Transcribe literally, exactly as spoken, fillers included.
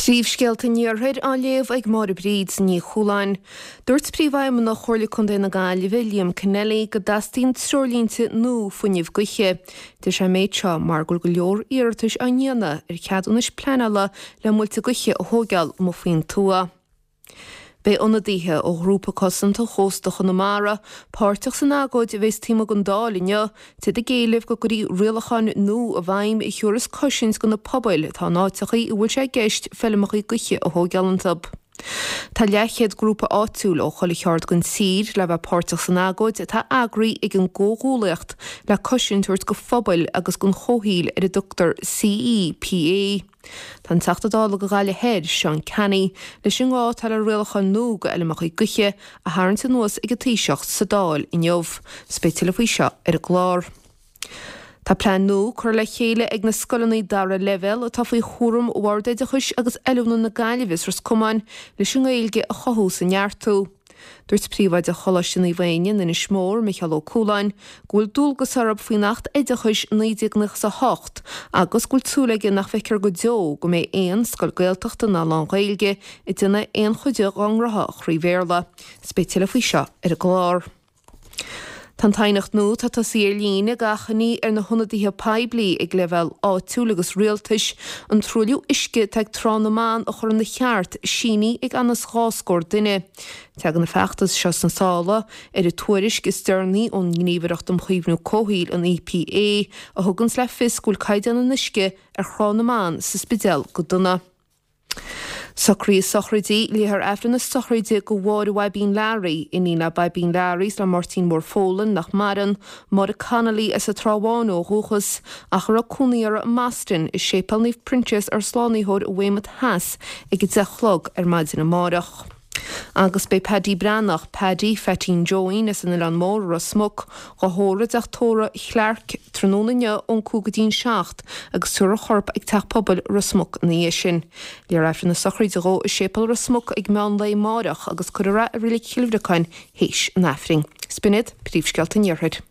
Príomhscéalta an Iarthair á léamh ag Máire Bríd Ní Chualáin. Dúirt Príomhfheidhmeannach Chomhairle Contae na Gaillimhe, Liam Kennelly, go dteastaíonn treoirlínte nua fuinnimh gaoithe. Deir sé an méid seo mar go bhfuil go leor iarratais á ndéanamh ar cheadúnais pleanála le muilte gaoithe a thógáil amuigh faoin tuath. Beidh ionadaithe ó ghrúpa cosanta chósta Chonamara páirteach san agóid a bheas taobh amuigh den Dáil inniu, is iad ag éileamh go gcuirfí rialacháin nua i bhfeidhm a thabharfas cosaint do na pobail atá in áiteachaí a bhfuil sé i gceist feilmeachaí gaoithe a thógáil iontu. Tá leathchéad grúpa áitiúil ó chuile cheard den tír le bheith páirteach san agóid atá eagraithe ag an gcomhghuaillíocht le cosaint a thabhairt do phobail agus don chomhshaol ar a dtugtar CEPA. Tá an Teachta Dála do Ghaillimh Thoir, Seán Canney, leis an ngá atá le rialacháin nua do fheilmeachaí gaoithe a tharraingt anuas ag an Taoiseach sa Dáil inniu. 'S beidh tuilleadh faoi seo ar an gclár. Tá plean nua curtha le chéile ag na scoileanna dara leibhéal atá faoi chúram Bhord Oideachais agus Oiliúna na Gaillimhe is Ros Comáin leis an nGaeilge a chothú is a neartú. Dúirt Príomhoide Choláiste Naomh Éinne in Inis Mór, Micheál Ó Cualáin, go bhfuil dualgas orthu faoin Acht Oideachais naoi déag nócha is a hocht agus go bhfuil súil aige nach bhfeicfear go deo go mbeidh aon scoil Gaeltachta ná lán-Ghaeilge ag déanamh aon chuid dá ngnótha trí Bhéarla. 'S beidh tuilleadh faoi seo ar an gclár. Tá an t-aighneacht nua atá tosaithe ar líne ag achainí ar na hionadaithe poiblí ag leibhéal áitiúil agus rialtais an truailliú uisce atá ag Trá na mBan a chur ina cheart sínithe ag anuas dhá scór duine. Tagann an feachtas seo sna sála ar an tuairisc is deireanaí ón nGníomhaireacht um Chaomhnú Comhshaoil, an EPA, a thuganns le fios go bhfuil caighdeán an uisce ar Thrá na mBan sa Spidéal go dona. Socruithe sochraide, Léifear Aifreann na sochraide do Mháire Bhaibín Learaí, iníon le Baibín Learaí is le Máirtín Mór Folan, nach maireann, Máire Connolly as an Trá Bháin ó dhúchas, ach a raibh cónaí uirthi i mBoston, i Séipéal Naomh Proinsias Ár Slánaitheoir i Weymouth Theas ag a deich a chlog ar maidin amárach. Agus beidh Paddy Breathnach, Paddy Pheaitín Joeín as an Oileán Mór, Ros Muc, dhá thórramh i dteach tórraimh Chlarke tráthnóna inniu ón cúig go dtí'n seacht agus tabharfar a chorp ag Teach Pobail Ros Muc ina dhiaidh sin. Léifear Aifreann na sochraide dhó i Séipéal Ros Muc ag meán lae amáireach agus cuirfear é i Reilig Chill Bhriocáin théis an Aifrinn. 'S b'in iad príomhscéalta an Iarthair.